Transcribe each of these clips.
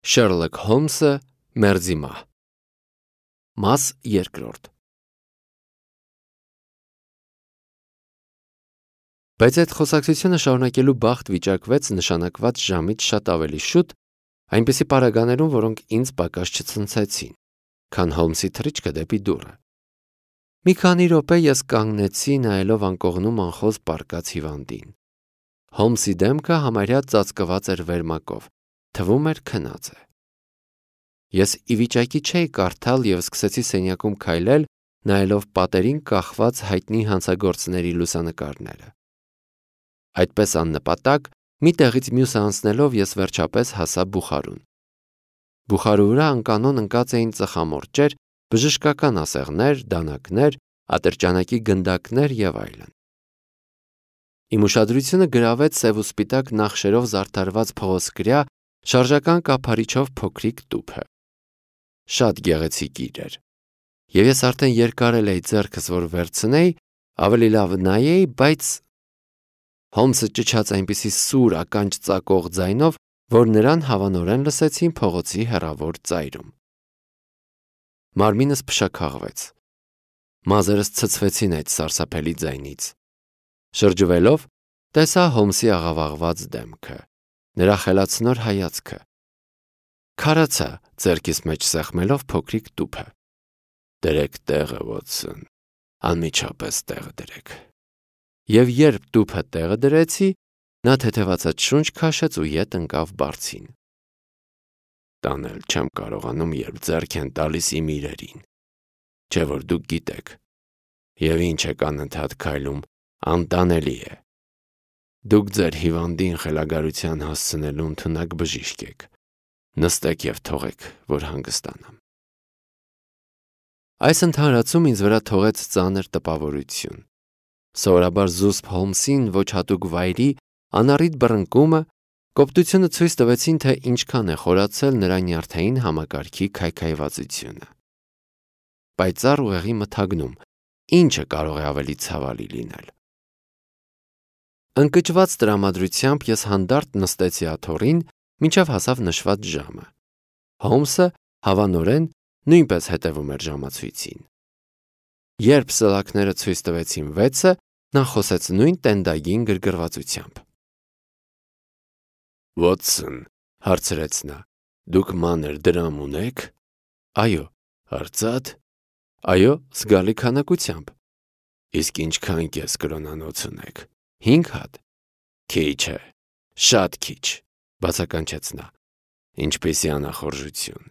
Շերլոք Հոլմսը մերձի մահ։ Մաս երկրորդ։ Բայց այդ խոսակցությունը շարունակելու բախտ վիճակվեց նշանակված ժամից շատ ավելի շուտ, այնպիսի պարագաներում, որոնք ինձ պակաս չցնցեցին, քան Հոլմսի թռիչքը դեպի դուռը։ Մի քանի րոպե ես կանգնեցի, նայելով անկողնում անխոզ պառկած հիվանդին։ Հոլմսի դեմքը համարյա ծածկված էր վերմակով, թվում էր քնած է։ Ես ի վիճակի չէի կարդալ և սկսեցի սենյակում քայլել, նայելով պատերին կախված հայտնի հանցագործների լուսանկարները։ Այդպես աննպատակ, մի տեղից մյուսը անցնելով ես վերջապես հասա բուխարուն։ Բուխարու վրա անկանոն ընկած էին ծխամորճեր, բժշկական ասեղներ, դանակներ, ատրճանակի գնդակներ և այլն։ Իմ ուշադրությունը գրավեց սև ու սպիտակ նախշերով զարդարված փղոսկրյա շարժական կափարիչով փոքրիկ տուփը։ Շատ գեղեցիկ էր, և ես արդեն երկարել էի ձեռքս, որ վերցնեի, ավելի լավ նայեի, բայց Հոլմսը ճչաց այնպիսի սուր ականջ ծակող ձայնով, որ նրան հավանորեն լսեցին փողոցի հեռավոր ծայրում։ Մարմինս փշաքաղվեց։ Մազերս ցցվեցին այդ սարսափելի ձայնից։ Շրջվելով, տեսա Հոլմսի աղավաղված դեմքը, նրա խելացնոր հայացքը։ Քարացա, ձեռքիս մեջ սեղմելով փոքրիկ տուփը։ Դրեք տեղը, Վոթսոն, անմիջապես տեղը դրեք։ Եվ երբ տուփը տեղը դրեցի, նա թեթևացած շունչ քաշեց ու ետ ընկավ բարձին։ Տանել չեմ կարողանում, երբ ձեռք են տալիս իմ իրերին, չէ՞ որ դուք գիտեք, և ինչ եք անընդհատ քայլում, անտանելի է։ Դուք ձեր հիվանդին խելագարության հասցնելու ընդունակ բժիշկ եք։ Նստեք և թողեք, որ հանգստանամ։ Այս ընդհանրացում ինձ վրա թողեց ծանր տպավորություն։ Սովորաբար զուսպ Հոլմսին ոչ հատուկ վայրի անառիթ բռնկումը, կոպտությունը ցույց տվեցին, թե ինչքան է խորացել նրա նյարդային համակարգի քայքայվածությունը։ Պայծառ ուղեղի մթագնում, ինչը կարող է ավելի ցավալի լինել։ Ընկճված տրամադրությամբ ես հանդարտ նստեցի աթոռին, մինչև հասավ նշված ժամը։ Հոլմսը, հավանորեն, նույնպես հետևում էր ժամացույցին։ Երբ սլաքները ցույց տվեցին 6-ը, նա խոսեց նույն տենդագին գրգռվածությամբ։ Վոթսոն, հարցրեց նա, դուք մանր դրամ ունեք։ Այո, արծաթ։ Այո, զգալի քանակությամբ։ Իսկ ինչքան կես կրոնանոց ունեք։ 5 հատ։ Քիչ է, շատ քիչ, բացականչեց նա։ Ինչպիսի անախորժություն։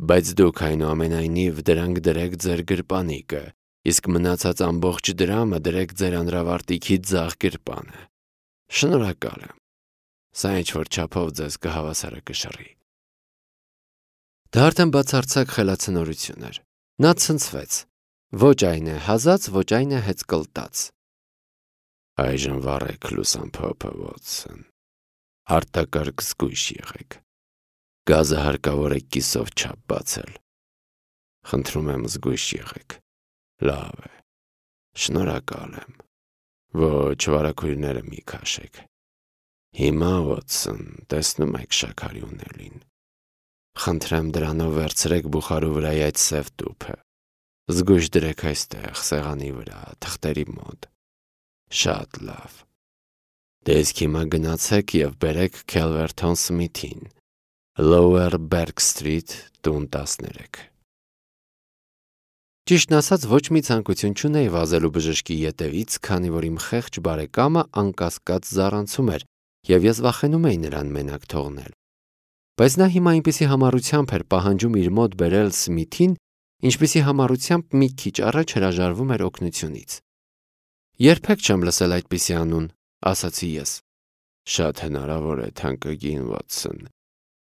Բայց դուք այնուամենայնիվ դրանք դրեք ձեր գրպանիկը, իսկ մնացած ամբողջ դրամը դրեք ձեր անրավարտիքի ձախ գրպանը։ Շնորհակալ եմ։ Սա ինչ-որ չափով ձեզ կհավասարակշռի։ Դա արդեն բացարձակ խելացնորություն էր։ Նա ցնցվեց։ Ոչ այն է հազած, ոչ այն է հեծկլտած։ Այժմ վառեք լուսամփոփը, Վոթսոն։ Արտակարգ զգույշ եղեք։ Գազը հարկավոր է կիսով չափ բացել։ Խնդրում եմ զգույշ եղեք։ Լավ է։ Շնորհակալ եմ։ Ոչ, վարագույրները մի քաշեք։ Հիմա, Վոթսոն, տեսնում եք շաքարի ունելին։ Խնդրեմ դրանով վերցրեք բուխարու վրայի այդ սև տուփը։ Զգույշ դրեք այստեղ, սեղանի վրա, թղթերի մոտ։ Շատ լավ։ Դե իսկ հիմա գնացեք և բերեք Քելվերթոն Սմիթին, Lower Berg Street, տուն 13։ Ճիշտն ասած, ոչ մի ցանկություն չունեի վազելու բժշկի ետևից, քանի որ իմ խեղճ բարեկամը անկասկած զառանցում էր, և ես վախենում էի նրան մենակ թողնել։ Բայց նա հիմա այնպիսի համառությամբ էր պահանջում իր մոտ բերել Սմիթին, ինչպիսի համառությամբ մի քիչ առաջ հրաժարվում էր օգնությունից։ Երբեք չեմ լսել այդպիսի անուն, ասացի ես։ Շատ հնարավոր է, թանկագին Վոթսոն,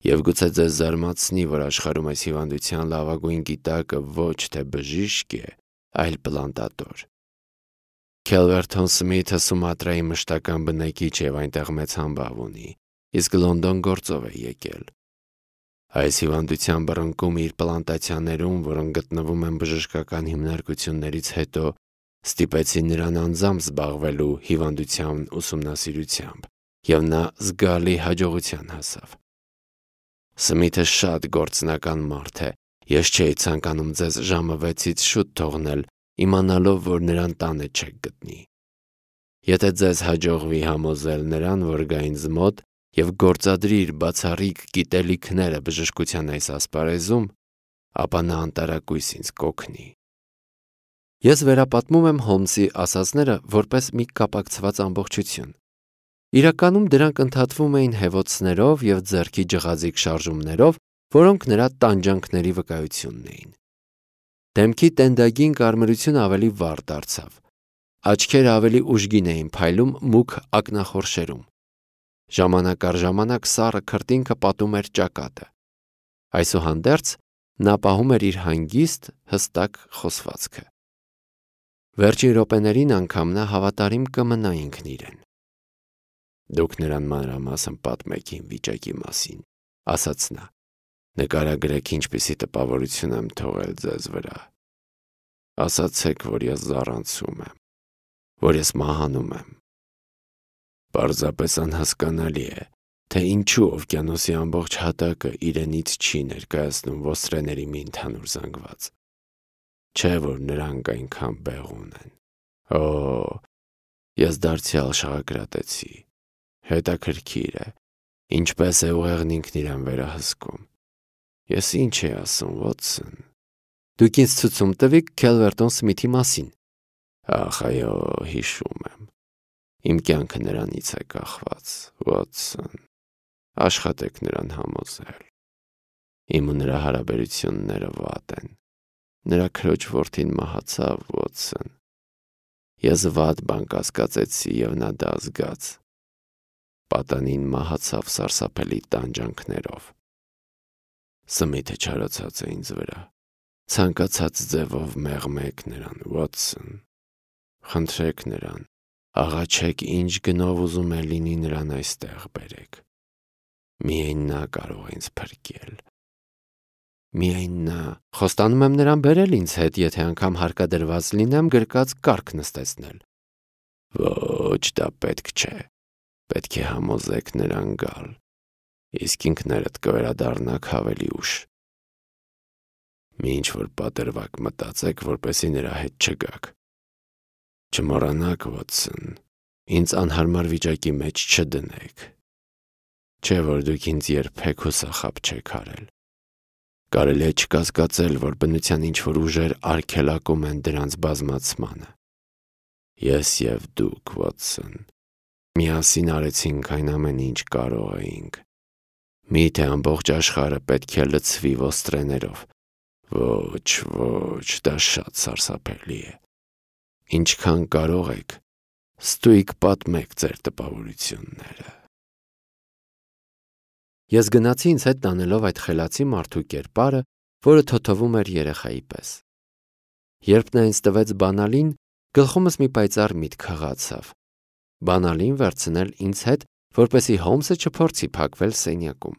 և գուցե ձեզ զարմացնի, որ աշխարհում այս հիվանդության լավագույն գիտակը ոչ թե բժիշկ է, այլ պլանտատոր։ Քելվերթոն Սմիթը Սումատրայի մշտական բնակիչ և այնտեղ մեծ համբավ ունի, իսկ Լոնդոն գործով է եկել։ Այս հիվանդության բռնկումը իր պլանտացիաներում, որոնք գտնվում են բժշկական հիմնարկություններից հետո, ստիպեցին նրան անձամբ զբաղվելու հիվանդության ուսումնասիրությամբ, և նա զգալի հաջողության հասավ։ Սմիթը շատ գործնական մարդ է, ես չէի ցանկանում ձեզ ժամը 6-ից շուտ թողնել, իմանալով, որ նրան տանը չեք գտնի։ Եթե ձեզ հաջողվի համոզել նրան, որ գա ինձ մոտ և գործադրի իր բացառիկ գիտելիքները բժշկության այս ասպարեզում, ապա նա անտարակույս ինձ կօգնի։ Ես վերապատմում եմ Հոլմսի ասածները որպես մի կապակցված ամբողջություն։ Իրականում դրանք ընդհատվում էին հեվոցներով և ձեռքի ջղազիկ շարժումներով, որոնք նրա տանջանքների վկայությունն էին։ Դեմքի տենդագին կարմրությունը ավելի վառ դարձավ։ Աչքերը ավելի ուժգին էին փայլում մուգ ակնախորշերում։ Ժամանակ առ ժամանակ սառը քրտինքը պատում էր ճակատը։ Այսուհանդերձ նա պահում էր իր հանգիստ, հստակ խոսվածքը։ Վերջին րոպեներին անգամ նա հավատարիմ կմնա ինքն իրեն։ Դուք նրան մանրամասն պատմեք իմ վիճակի մասին, ասաց նա։ Նկարագրեք ինչպիսի տպավորություն եմ թողել ձեզ վրա։ Ասացեք, որ ես զառանցում եմ, որ ես մահանում եմ։ Պարզապես անհասկանալի է, թե ինչու օվկիանոսի ամբողջ հատակը իրենից չի ներկայացնում ոստրեների մի ընդհանուր զանգված։ Չէ, որ նրանք այնքան բեղուն են։ Օ, ես դարձյալ շաղակրատեցի։ Հետաքրքիր է, ինչպես է ուղեղն ինքն իրեն վերահսկում։ Ես ինչ էի ասում, Վոտսոն։ Դուք ինձ ցույց տվիք Քելվերտոն Սմիթի մասին։ Ախ, այո, հիշում եմ։ Իմ կյանքը նրանից է կախված, Վոտսոն։ Աշխատեք նրան համոզել։ Իմ ու նրա հարաբերությունները վատ են։ Նրա քրոջ որդին մահացավ, Վոտսոն։ Ես վատ բան կասկածեցի և նա դա զգաց։ Պատանին մահացավ սարսափելի տանջանքներով։ Սմիթը չարացած է ինձ վրա։ Ցանկացած ձևով մեղմեք նրան, Վոտսոն։ Խնդրեք նրան, աղաչեք ինչ գնով ուզում է լինի նրան այստեղ բերեք։ Միայն նա կարող է ինձ փրկել։ Միայն նա։ Խոստանում եմ նրան բերել ինձ հետ, եթե անգամ հարկադրված լինեմ գրկած կառք նստեցնել։ Ոչ, դա պետք չէ։ Պետք է համոզեք նրան գալ։ Իսկ ինքներդ կվերադառնաք ավելի ուշ։ Մի ինչ-որ պատրվակ մտածեք, որպեսզի նրա հետ չգաք։ Չմոռանաք, Վոտսոն, ինձ անհարմար վիճակի մեջ չդնեք։ Չէ՞ որ դուք ինձ երբեք հուսախաբ չեք արել։ Կարելի է չկասկածել, որ բնության ինչ-որ ուժեր արգելակում են դրանց բազմացմանը։ Ես և դուք, Վոտսոն, միասին արեցինք այն ամեն ինչ կարող էինք։ Միթե ամբողջ աշխարհը պետք է լցվի ոստրեներով։ Ոչ, ոչ, դա շատ սարսափելի է։ Ինչքան կարող եք, ստույգ պատմեք ձեր տպավորությունները։ Ես գնացի ինձ հետ տանելով այդ խելացի մարդու կերպարը, որը թոթվում էր երեխայի պես։ Երբ նա ինձ տվեց բանալին, գլխումս մի պայծառ միտք հղացավ։ Բանալին վերցնել ինձ հետ, որպեսզի Հոլմսը չփորձի փակվել սենյակում։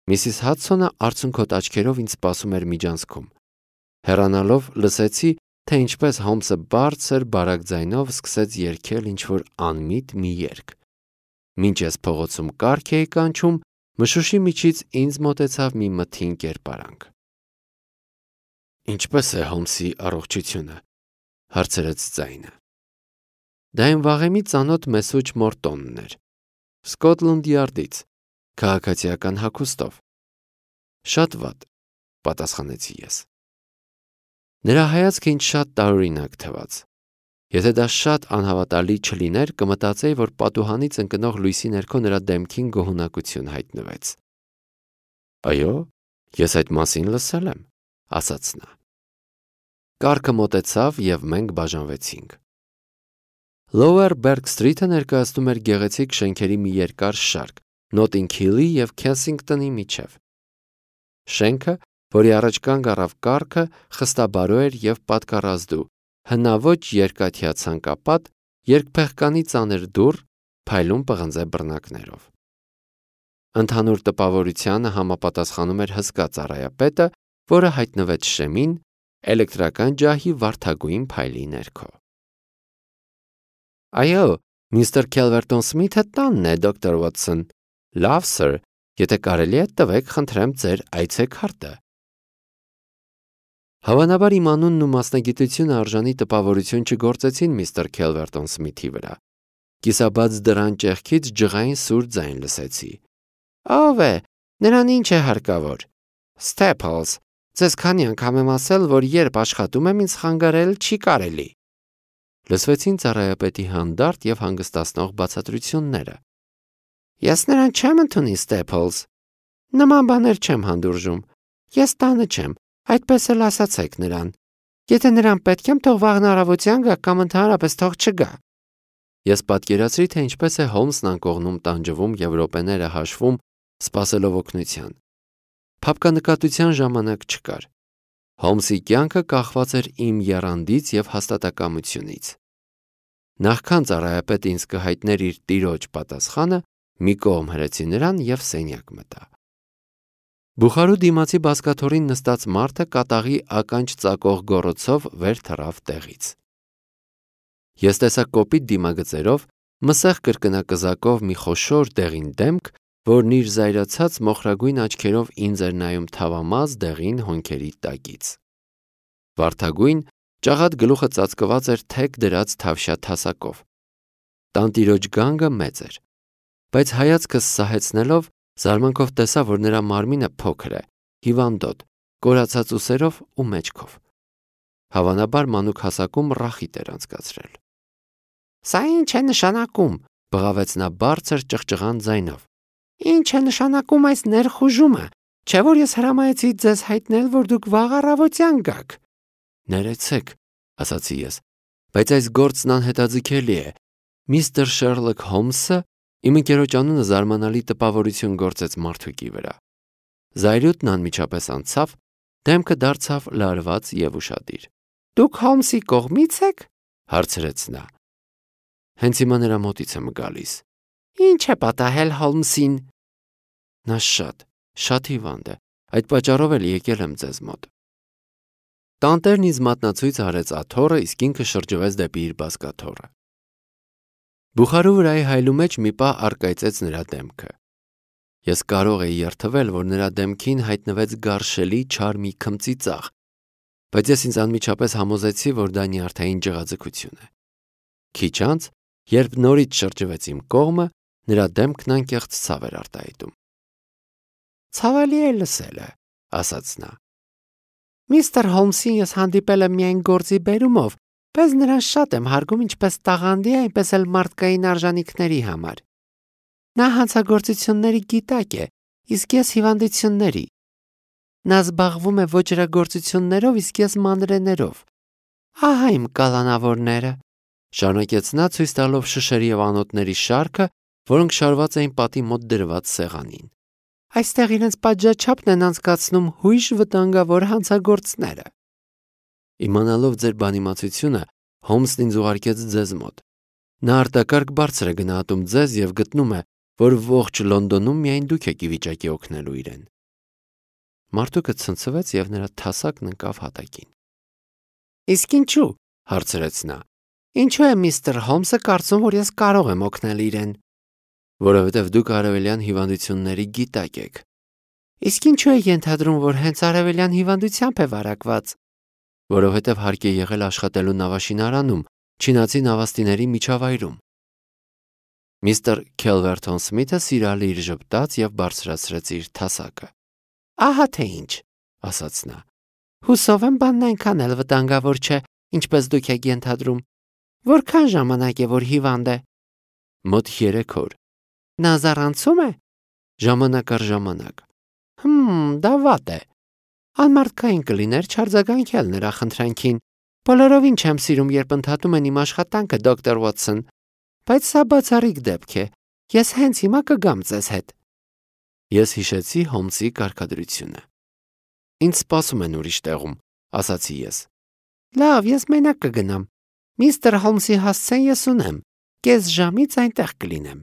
Միսիս Հադսոնը արցունքոտ աչքերով ինձ սպասում էր միջանցքում։ Հեռանալով լսեցի, թե ինչպես Հոլմսը բարձր բարակ ձայնով սկսեց երգել ինչ-որ անմիտ մի երգ։ Մինչ ես փողոցում կառք էի կանչում, մշուշի միջից ինձ մոտեցավ մի մթին կերպարանք։ Ինչպե՞ս է Հոլմսի առողջությունը, հարցրեց ձայնը։ Դա այն վաղեմի ծանոթ Մեսուջ Մորտոնն էր, Սկոթլանդ Յարդից, քաղաքացիական հագուստով։ Շատ վատ, պատասխանեցի ես։ Նրա հայացքը ինձ շատ տարօրինակ թվաց։ Եթե դա շատ անհավատալի չլիներ, կմտածեի, որ պատուհանից ընկնող լույսի ներքո նրա դեմքին գոհունակություն հայտնվեց։ Այո, ես այդ մասին լսել եմ, ասաց նա։ Կառքը մոտեցավ և մենք բաժանվեցինք։ Lower Berg Street-ը ներկայացնում էր գեղեցիկ շենքերի մի երկար շարք, Նոտինգ Հիլի և Քենսինգտոնի միջև։ Շենքը, որի առաջ կանգ առավ կառքը, խստաբարո էր և պատկառազդու, հնաոճ երկաթյա ցանկապատ, երկփեղկանի ծանր դուռ, փայլուն պղնձե բռնակներով։ Ընդհանուր տպավորությանը համապատասխանում էր հսկա ծառայապետը, որը հայտնվեց շեմին, էլեկտրական ջահի վարդագույն փայլի ներքո։ Այո, միստր Քելվերտոն Սմիթը տանն է, դոկտոր Վոտսոն։ Լավ, սըր, Եթե կարելի է, տվեք խնդրեմ ձեր այցեքարտը։ Հավանաբար իմ անունն ու մասնագիտությունը արժանի տպավորություն չգործեցին միստր Քելվերտոն Սմիթի վրա։ Կիսաբաց դռան ճեղքից ջղային սուր ձայն լսեցի։ Ո՞վ է, նրան ինչ է հարկավոր։ Ստեփլս, ձեզ քանի անգամ եմ ասել, որ երբ աշխատում եմ, ինձ խանգարել չի կարելի։ Լսվեցին ծառայապետի հանդարտ եւ հանգստացնող բացատրությունները։ Ես նրան չեմ ընդունի, Ստեփլս։ Նման բաներ չեմ հանդուրժում։ Ես տանը չեմ, այդպես էլ ասացեք նրան։ Եթե նրան պետք եմ, թող վաղն առավոտյան գա կամ ընդհանրապես թող չգա։ Ես պատկերացրի, թե ինչպես է Հոլմսն անկողնում տանջվում եւ րոպեները հաշվում, սպասելով օգնության։ Փափկանկատության ժամանակ չկար։ Հոլմսի կյանքը կախված էր իմ եռանդից եւ հաստատակամությունից։ Նախքան ծառայապետը ինձ կհայտներ իր տիրոջ պատասխանը, մի կողմ հրեցի նրան եւ սենյակ մտա։ Բուխարու դիմացի բազկաթոռին նստած մարդը կատաղի ականջ ծակող գոռոցով վեր թռավ տեղից։ Ես տեսա կոպիտ դիմագծերով, մսեղ կրկնակզակով մի խոշոր դեղին դեմք, որն իր զայրացած մոխրագույն աչքերով ինձ էր նայում թավամազ դեղին հոնքերի տակից։ Վարդագույն, ճաղատ գլուխը ծածկված էր թեք դրած թավշյա թասակով։ Տանտիրոջ գանգը մեծ էր, բայց հայացքս սահեցնելով զարմանքով տեսա, որ նրա մարմինը փոքր է, հիվանդոտ, կորացած ուսերով ու մեջքով։ Հավանաբար մանուկ հասակում ռախիտ էր անցկացրել։ Սա ինչ է նշանակում, բղավեց նա բարձր ճղճղան ձայնով։ Ինչ է նշանակում այս ներխուժումը, չէ՞ որ ես հրամայեցի ձեզ հայտնել, որ դուք վաղ առավոտյան գաք։ Ներեցեք, ասացի ես, բայց այս գործն անհետաձգելի է։ Միստր Շերլոք Հոլմսը իմ ընկերոջ անունը զարմանալի տպավորություն գործեց մարդուկի վրա։ Զայրույթն անմիջապես անցավ, դեմքը դարձավ լարված եւ ուշադիր։ Դուք Հոլմսի կողմից եք, հարցրեց նա։ Հենց հիմա նրա մոտից եմ գալիս։ Ինչ է պատահել Հոլմսին։ Նա շատ հիվանդ է, այդ պատճառով էլ եկել եմ ձեզ մոտ։ Տանտերն ինձ մատնացույց արեց աթոռը, իսկ ինքը շրջվեց դեպի իր բազկաթոռը։ Բուխարու վրայի հայլու մեջ մի պահ առկայծեց նրա դեմքը։ Ես կարող էի երթվել, որ նրա դեմքին հայտնվեց գարշելի չար մի քմծի ծաղ, բայց ես ինձ անմիջապես համոզեցի, որ դա նյարդային ջղաձգություն է։ Քիչ անց, երբ նորից շրջվեց իմ կողմը, նրա դեմքն անկեղծ ցավ էր արտահայտում։ Ցավալի է լսելը, ասաց նա։ Միստր Հոլմսին ես հանդիպել եմ միայն գործի բերումով, բայց նրան շատ եմ հարգում ինչպես տաղանդի, այնպես էլ մարդկային արժանինքների համար։ Նա հանցագործությունների գիտակ է, իսկ ես հիվանդությունների։ Նա զբաղվում է ոճրագործություններով, իսկ ես մանրեներով։ Ահա իմ կալանավորները, շարունակեց նա ցույց տալով շշերի եւ անոթների շարքը, որոնք շարված էին պատի մոտ դրված սեղանին։ Այստեղ իրենց պատժաչափն են անցկացնում հույժ վտանգավոր հանցագործները։ Իմանալով ձեր բանիմացությունը, Հոլմսն ինձ ուղարկեց ձեզ մոտ։ Նա արտակարգ բարձր է գնահատում ձեզ եւ գտնում է, որ ողջ Լոնդոնում միայն դուք եք ի վիճակի օգնելու իրեն։ Մարդուկը ցնցվեց եւ նրա թասակն ընկավ հատակին։ Իսկ ինչու՞, հարցրեց նա։ Ինչու է միստր Հոլմսը կարծում, որ ես կարող եմ օգնել իրեն։ Որովհետև դուք արևելյան հիվանդությունների գիտակ եք։ Իսկ ինչու է ենթադրում, որ հենց արևելյան հիվանդությամբ է վարակված։ Որովհետև հարկ է եղել աշխատելու նավաշինարանում, չինացի նավաստիների միջավայրում։ Միստր Քելվերտոն Սմիթը սիրալիր ժպտաց եւ բարձրացրեց իր թասակը։ Ահա թե ինչ, ասաց նա։ Հուսով եմ բանն այնքան էլ վտանգավոր չէ, ինչպես դուք եք ենթադրում։ Որքան ժամանակ է, որ հիվանդ է։ Մոտ 3 օր։ Նա զառանցում է։ Ժամանակ առ ժամանակ։ Դա վատ է։ Անմարդկային կլիներ չարձագանքել նրա խնդրանքին։ Բոլորովին չեմ սիրում, երբ ընդհատում են իմ աշխատանքը, դոկտոր Վոթսոն, բայց սա բացառիկ դեպք է։ Ես հենց հիմա կգամ ձեզ հետ։ Ես հիշեցի Հոլմսի կարգադրությունը։ Ինձ սպասում են ուրիշ տեղում, ասացի ես։ Լավ, ես մենակ կգնամ։ Միստր Հոլմսի հասցեն ես ունեմ։ Կես ժամից այնտեղ կլինեմ։